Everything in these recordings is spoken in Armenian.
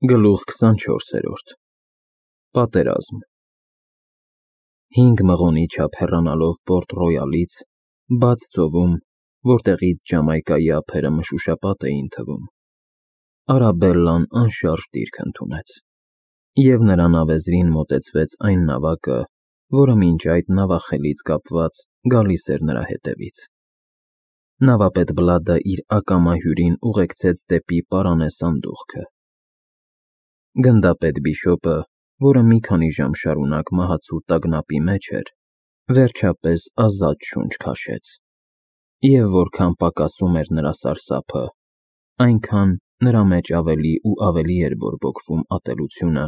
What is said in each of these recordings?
Գլուխ 24 Պատերազմ 5 մղոնի չափ հեռանալով Պորտ Ռոյալից, բաց ծովում, որտեղից Ջամայկայի ափերը մշուշապատ էին թվում, Արաբելլան անշարժ դիրք ընդունեց, և նրան ավեզրին մոտեցվեց այն նավակը, որը մինչ այդ նավախելից կապված գալիս էր նրա հետևից։ Նավապետ Բլադը իր ակամա հյուրին ուղեկցեց դեպի պարանե սանդուղքը։ Գնդապետ Բիշոպը, որը մի քանի ժամ շարունակ մահացու տագնապի մեջ էր, վերջապես ազատ շունչ քաշեց, և որքան պակասում էր նրա սարսափը, այնքան նրա մեջ ավելի ու ավելի էր բորբոքվում ատելությունը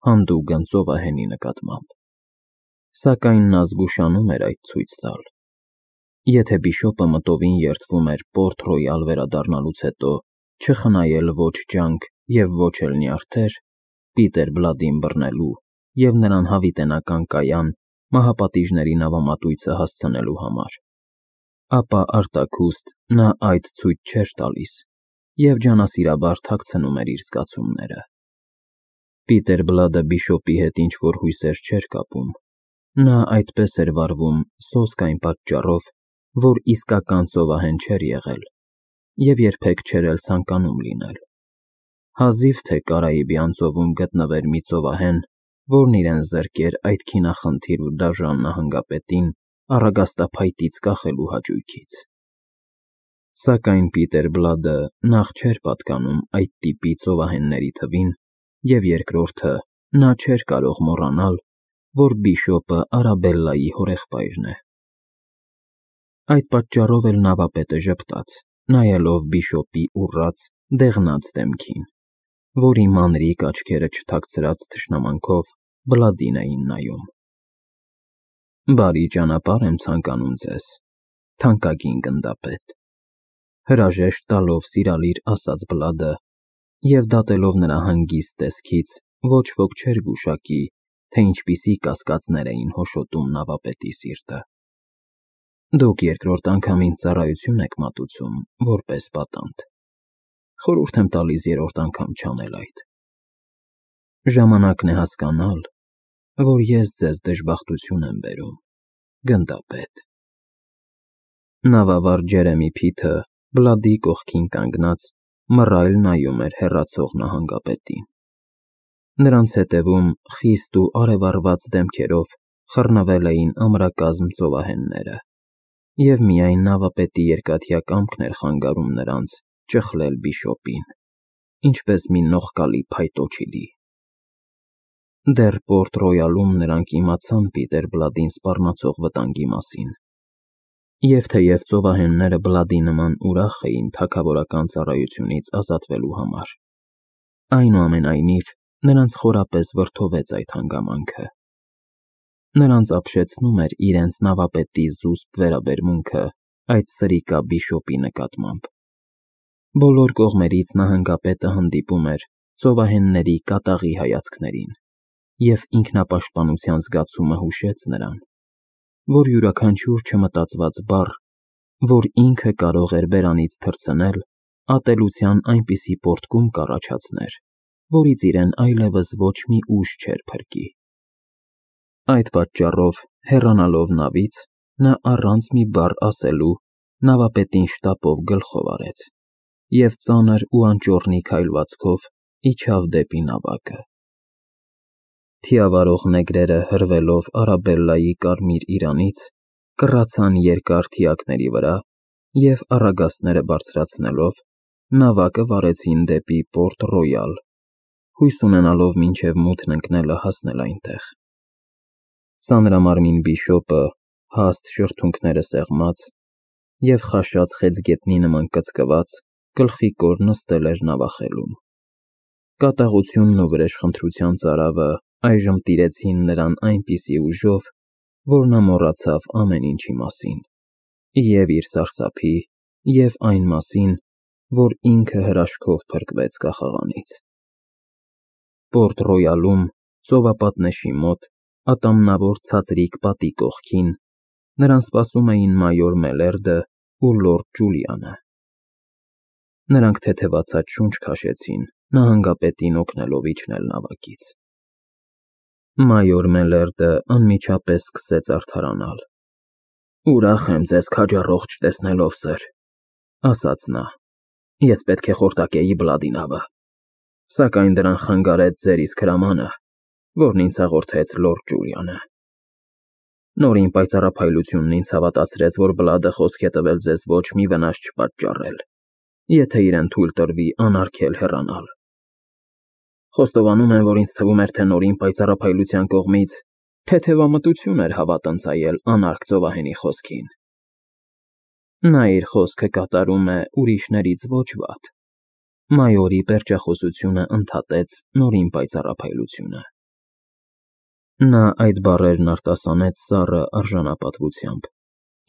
հանդուգն ծովահենի նկատմամբ։ Սակայն նա զգուշանում էր այդ ցույց տալ։ Եթե Բիշոպը մտովին երդվում էր Պորտ Ռոյալ վերադառնալուց հետո չխնայել ոչ ջանք և ոչ էլ նյարդեր Պիտեր Բլադին բռնելու և նրան հավիտենական կայան մահապատիժների նավամատույցը հասցնելու համար, ապա արտաքուստ նա այդ ցույց չէր տալիս և ջանասիրաբար թաքցնում էր իր զգացումները։ Պիտեր Բլադը Բիշոպի հետ ինչ-որ հույսեր չէր կապում, նա այդպես էր վարվում սոսկ այն պատճառով, որ իսկական ծովահեն չէր եղել և երբեք չէր էլ ցանկանում լինել։ Հազիվ թե Կարիբյան ծովում գտնվեր մի ծովահեն, որն իրեն զրկեր այդ քինախնդիր ու դաժան նահանգապետին առագաստափայտից կախելու հաճույքից։ Սակայն Պիտեր Բլադը նախ չէր պատկանում այդ տիպի ծովահենների թվին, և երկրորդը, նա չէր կարող մոռանալ, որ Բիշոպը Արաբելլայի հորեղբայրն է։ Այդ պատճառով էլ նավապետը ժպտաց, նայելով Բիշոպի ուռած, դեղնած դեմքին, որի մանրիկ աչքերը չթաքցրած թշնամանքով Բլադին էին նայում։ Բարի ճանապարհ եմ ցանկանում ձեզ, թանկագին գնդապետ, հրաժեշտ տալով սիրալիր ասաց Բլադը, և դատելով նրա հանգիստ տեսքից ոչ ոք չէր գուշակի, թե ինչպիսի կասկածներ էին հոշոտում նավապետի սիրտը։ Դուք երկրորդ անգամ ինձ ծառայություն եք մատուցում, որպես պատանդ, խորհուրդ եմ տալիս երրորդ անգամ չանել այդ։ Ժամանակն է հասկանալ, որ ես ձեզ դժբախտություն եմ բերում, գնդապետ։ Նավավար Ջերեմի Փիթը Բլադի կողքին կանգնած մռայլ նայում էր հեռացող նահանգապետին։ Նրանց հետևում խիստ ու արևառված դեմքերով խռնվել էին ամրակազմ ծովահենները, և միայն նավապետի երկաթյա կամքն էր խանգարում նրանց ճխլել Բիշոպին, ինչպես մի նողկալի փայտոջիլի։ Դեռ Պորտ Ռոյալում նրանք իմացան Պիտեր Բլադին սպառնացող վտանգի մասին, և թեև ծովահենները Բլադի նման ուրախ էին թագավորական ծառայությունից ազատվելու համար, այնուամենայնիվ նրանց խորապես վրդովեց այդ հանգամանքը։ Նրանց ապշեցնում էր իրենց նավապետի զուսպ վերաբերմունքը այդ սրիկա Բիշոպի նկատմամբ։ Բոլոր կողմերից նահանգապետը հանդիպում էր ծովահենների կատաղի հայացքներին, և ինքնապաշտպանության զգացումը հուշեց նրան, որ յուրաքանչյուր չմտածված բառ, որ ինքը կարող էր բերանից թռցնել, ատելության այնպիսի պոռթկում կառաջացներ, որից իրեն այլևս ոչ մի ուժ չէր փրկի։ Այդ պատճառով, հեռանալով նավից, նա առանց մի բառ ասելու նավապետին շտապով գլխով արեց և ծանր ու անճոռնի քայլվածքով իջավ դեպի նավակը։ Թիավարող նեգրերը հրվելով Արաբելլայի կարմիր իրանից, կռացան երկար թիակների վրա և առագաստները բարձրացնելով, նավակը վարեցին դեպի Պորտ Ռոյալ, հույս ունենալով մինչև մութն ընկնելը հասնել այնտեղ։ Ծանրամարմին Բիշոպը, հաստ շրթունքները սեղմած և խաշած խեցգետնի նման կծկված, գլխիկոր նստել էր նավախելում։ Կատաղությունն ու վրեժխնդրության ծարավը այժմ տիրեցին նրան այնպիսի ուժով, որ նա մոռացավ ամեն ինչի մասին, և իր սարսափի, և այն մասին, որ ինքը հրաշքով փրկվեց կախաղանից։ Պորտ Ռոյալում, ծովապատնեշի մոտ, ատամնավոր ցածրիկ պատի կողքին, նրան սպասում էին մայոր Մելերդը ու լորդ Ջուլիանը։ Նրանք թեթևացած շունչ քաշեցին նահանգապետին օգնելով իջնել նավակից։ Մայոր Մելերդը անմիջապես սկսեց արդարանալ։ «Ուրախ եմ ձեզ քաջառողջ տեսնելով, սըր», ասաց նա։ «Ես պետք է խորտակեի Բլադի նավը, սակայն դրան խանգարեց ձեր իսկ հրամանը, որն ինձ հաղորդեց լորդ Ջուլիանը։ Նորին պայծառափայլությունն ինձ հավատացրեց, որ Բլադը խոսք է տվել ձեզ ոչ մի վնաս չպատճառել, եթե իրեն թույլ տրվի անարգել հեռանալ։ Խոստովանում եմ, որ ինձ թվում էր, թե նորին պայծառափայլության կողմից թեթևամտություն էր հավատ ընծայել անարգ ծովահենի խոսքին։ Նա իր խոսքը կատարում է ուրիշներից ոչ վատ»։ Մայորի պերճախոսությունը ընդհատեց նորին պայծառափայլությունը։ Նա այդ բառերն արտասանեց սառը արժանապատվությամբ,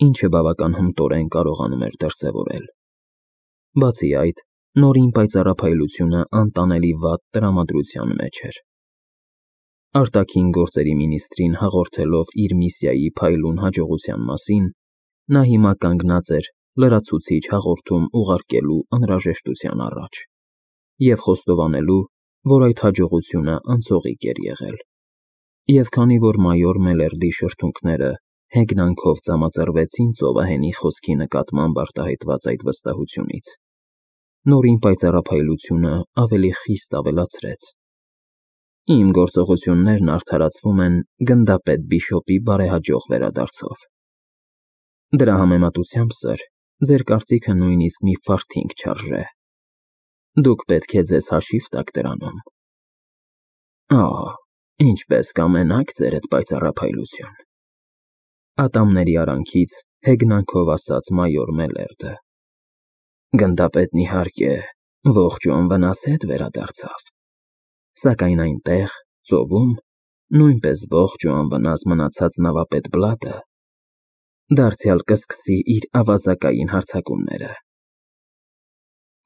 ինչը բավական հմտորեն կարողանում էր դրսևորել։ Բացի այդ, նորին պայծառափայլությունը անտանելի վատ տրամադրության մեջ էր։ Արտաքին գործերի մինիստրին հաղորդելով իր միսիայի փայլուն հաջողության մասին, նա հիմա կանգնած էր լրացուցիչ հաղորդում ուղարկելու անհրաժեշտության առաջ և խոստովանելու, որ այդ հաջողությունը անցողիկ էր եղել։ Եվ քանի որ մայոր Մելերդի շրթունքները հեգնանքով ծամածրվեցին ծովահենի խոսքի նկատմամբ արտահայտված այդ վստահությունից, նորին պայծառափայլությունը ավելի խիստ ավելացրեց. «Իմ գործողություններն արդարացվում են գնդապետ Բիշոպի բարեհաջող վերադարձով։ Դրա համեմատությամբ, սըր, ձեր կարծիքը նույնիսկ մի ֆարթինգ չարժե։ Դուք պետք է ձեզ հաշիվ տաք դրանում»։ «Օ, ինչպես կամենաք, ձերդ պայծառափայլություն», ատամների արանքից հեգնանքով ասաց մայոր Մելերդը։ «Գնդապետն իհարկե ողջ ու անվնաս հետ վերադարձավ, սակայն այնտեղ, ծովում, նույնպես ողջ ու անվնաս մնացած նավապետ Բլադը դարձյալ կսկսի իր ավազակային հարձակումները։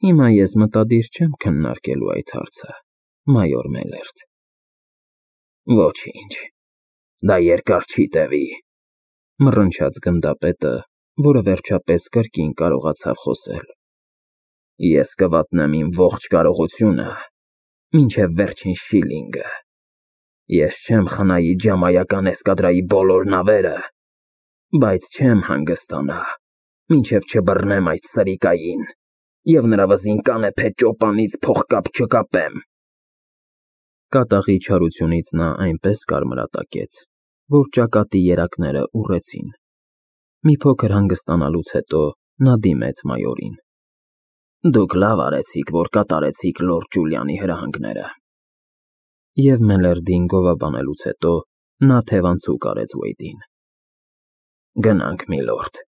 Հիմա ես մտադիր չեմ քննարկելու այդ հարցը, մայոր Մելերդ»։ «Ոչինչ, դա երկար չի տևի», մռնչաց գնդապետը, որը վերջապես կրկին կարողացավ խոսել։ «Ես կվատնեմ իմ ողջ կարողությունը, մինչև վերջին շիլինգը։ Ես չեմ խնայի ջամայական էսկադրայի բոլոր նավերը, բայց չեմ հանգստանա, մինչև չբռնեմ այդ սրիկային և նրա վզին կանեփե ճոպանից փողկապ չկապեմ»։ Կատաղի չարությունից նա այնպես կարմրատակեց, որ ճակատի երակները ուռեցին։ Մի փոքր հանգստանալուց հետո նա դիմեց մայորին։ «Դուք լավ արեցիք, որ կատարեցիք լորդ Ջուլիանի հրահանգները»։ Եվ Մելերդին գովաբանելուց հետո նա թևանցուկ արեց Ուեյդին։ «Գնանք, միլորդ,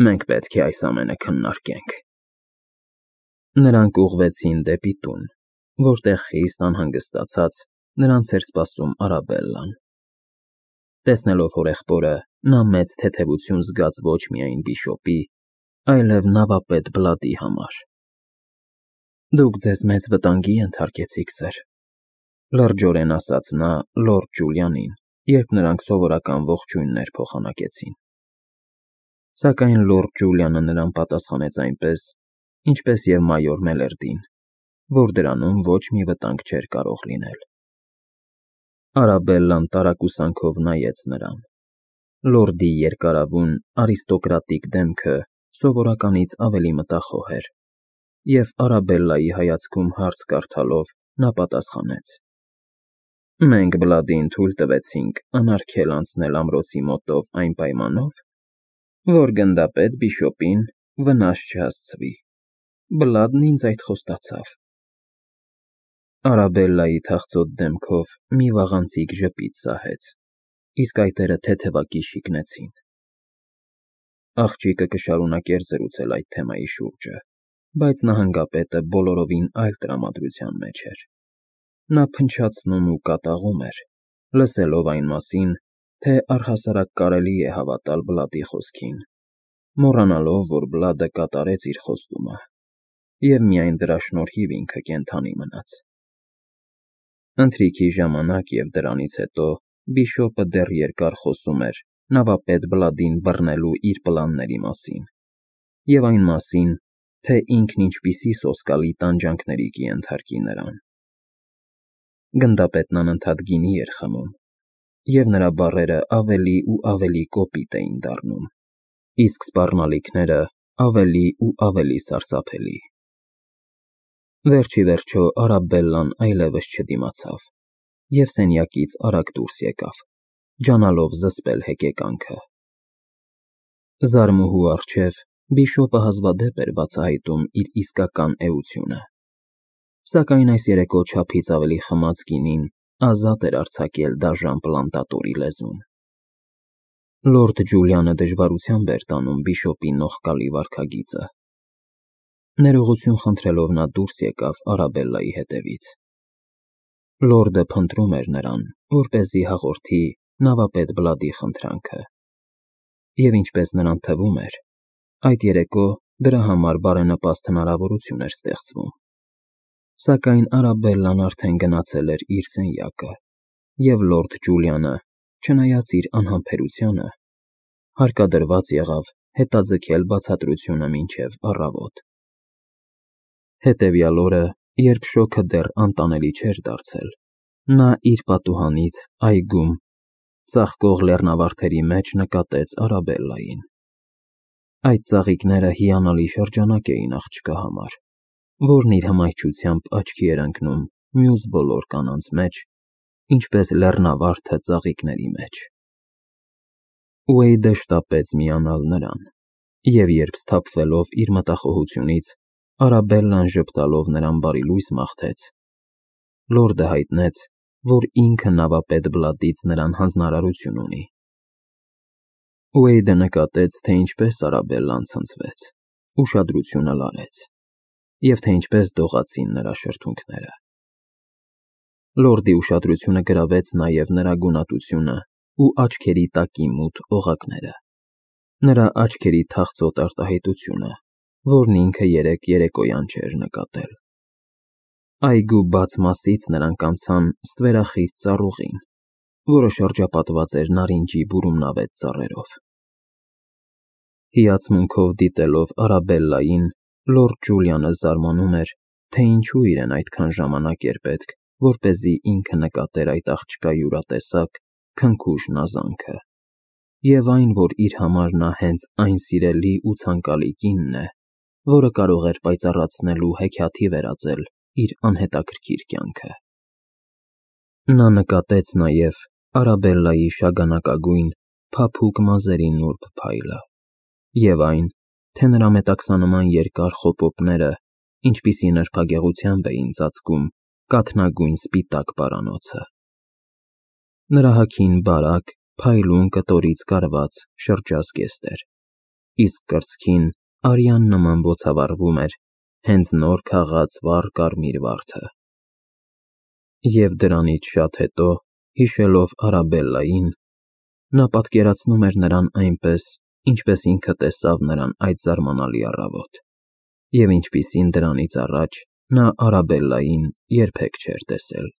մենք պետք է այս ամենը քննարկենք»։ Նրանք ուղղվեցին դեպի տուն, որտեղ խիստ անհանգստացած նրանց էր սպասում Արաբելլան։ Տեսնելով հորեղբորը, նա մեծ թեթևություն զգաց ոչ միայն Բիշոպի, այլև նավապետ Բլադի համար։ «Դուք ձեզ մեծ վտանգի ենթարկեցիք, սըր», լրջորեն ասաց նա լորդ Ջուլիանին, երբ նրանք սովորական ողջույններ փոխանակեցին։ Սակայն լորդ Ջուլիանը նրան պատասխանեց այնպես, ինչպես և մայոր Մելերդին, որ դրանում ոչ մի վտանգ չէր կարող լինել։ Արաբելլան տարակուսանքով նայեց նրան։ Լորդի երկարավուն, արիստոկրատիկ դեմքը սովորականից ավելի մտախոհ էր, և Արաբելլայի հայացքում հարց կարդալով նա պատասխանեց. «Մենք Բլադին թույլ տվեցինք անարգել անցնել ամրոցի մոտով այն պայմանով, որ գնդապետ Բիշոպին վնաս չհասցվի։ Բլադն ինձ այդ խոստացավ»։ Արաբելլայի թախծոտ դեմքով մի վաղանցիկ ժպիտ սահեց, իսկ այտերը թեթևակի շիկնեցին։ Աղջիկը կշարունակեր զրուցել այդ թեմայի շուրջը, բայց նահանգապետը բոլորովին այլ տրամադրության մեջ էր։ Նա փնչացնում ու կատաղում էր, լսելով այն մասին, թե առհասարակ կարելի է հավատալ Բլադի խոսքին, մոռանալով, որ Բլադը կատարեց իր խոստումը, և միայն դրա շնորհիվ ինքը կենդանի մնաց։ Ընթրիքի ժամանակ և դրանից հետո Բիշոպը դեռ երկար խոսում էր նավապետ Բլադին բռնելու իր պլանների մասին և այն մասին, թե ինքն ինչպիսի սոսկալի տանջանքների կենթարկի նրան։ Գնդապետն անընդհատ գինի էր խմում, և նրա բառերը ավելի ու ավելի կոպիտ էին դառնում, իսկ սպառնալիքները ավելի ու ավելի սարսափելի։ Վերջ ի վերջո Արաբելլան այլևս չդիմացավ և սենյակից արագ դուրս եկավ, ջանալով զսպել հեկեկանքը։ Զարմուհու առջև բիշոպը հազվադեպ էր բացահայտում իր իսկական էությունը, սակայն այս երեկո չափից ավելի խմած գինին ազատ էր արձակել դաժան պլանտատորի լեզուն։ Լորդ Ջուլիանը դժվարությամբ էր տանում բիշոպի նողկալի վարքագիծը։ Ներողություն խնդրելով նա դուրս եկավ Արաբելլայի հետևից։ Լորդը փնտրում էր նրան, որպեսզի հաղորդի նավապետ Բլադի խնդրանքը, և ինչպես նրան թվում էր, այդ երեկո դրա համար բարենպաստ հնարավորություն էր ստեղծվում։ Սակայն Արաբելլան արդեն գնացել էր իր սենյակը, և լորդ Ջուլիանը, չնայած իր անհամբերությանը, հարկադրված եղավ հետաձգել բացատրությունը մինչև առավոտ։ Հետևյալ օրը, երբ շոգը դեռ անտանելի չէր դարձել, նա իր պատուհանից այգում ծաղկող լեռնավարդերի մեջ նկատեց Արաբելլային։ Այդ ծաղիկները հիանալի շրջանակ էին աղջկա համար, որն իր հմայչությամբ աչքի էր ընկնում մյուս բոլոր կանանց մեջ, ինչպես լեռնավարդը ծաղիկների մեջ։ Ուեյդը շտապեց միանալ նրան, և երբ սթափվելով իր մտախոհությունից, Արաբելլան ժպտալով նրան բարիլույս մաղթեց, լորդը հայտնեց, որ ինքը նավապետ Բլադից նրան հանձնարարություն ունի։ Ուեյդը նկատեց, թե ինչպես Արաբելլան ցնցվեց, ուշադրությունը լարեց, և թե ինչպես դողացին նրա շրթունքները։ Լորդի ուշադրությունը գրավեց նաև նրա գունատությունը ու աչքերի տակի մութ օղակները, նրա աչքերի թախծոտ արտահայտությունը, որն ինքը երեկոյան չէր նկատել։ Այգու բաց մասից նրանք անցան ստվերախիտ ծառուղին, որը շրջապատված էր նարինջի բուրումնավետ ծառերով։ Հիացմունքով դիտելով Արաբելլային, լորդ Ջուլիանը զարմանում էր, թե ինչու իրեն այդքան ժամանակ էր պետք, որպեսզի ինքը նկատեր այդ աղջկա յուրատեսակ, քնքուշ նազանքը, և այն, որ իր համար նա հենց այն սիրելի ու ցանկալի կինն է, որը կարող էր պայծառացնել ու հեքիաթի վերածել իր անհետաքրքիր կյանքը։ Նա նկատեց նաև Արաբելլայի շագանակագույն, փափուկ մազերի նուրբ փայլը, և այն, թե նրա մետաքսանման երկար խոպոպները ինչպիսի նրբագեղությամբ էին ծածկում կաթնագույն սպիտակ պարանոցը։ Նրա հագին բարակ, փայլուն կտորից կարված շրջազգեստ էր, իսկ կրծքին արյան նման բոցավառվում էր հենց նոր քաղած վառ կարմիր վարդը։ Եվ դրանից շատ հետո, հիշելով Արաբելլային, նա պատկերացնում էր նրան այնպես, ինչպես ինքը տեսավ նրան այդ զարմանալի առավոտ, և ինչպիսին դրանից առաջ նա Արաբելլային երբեք չէր տեսել։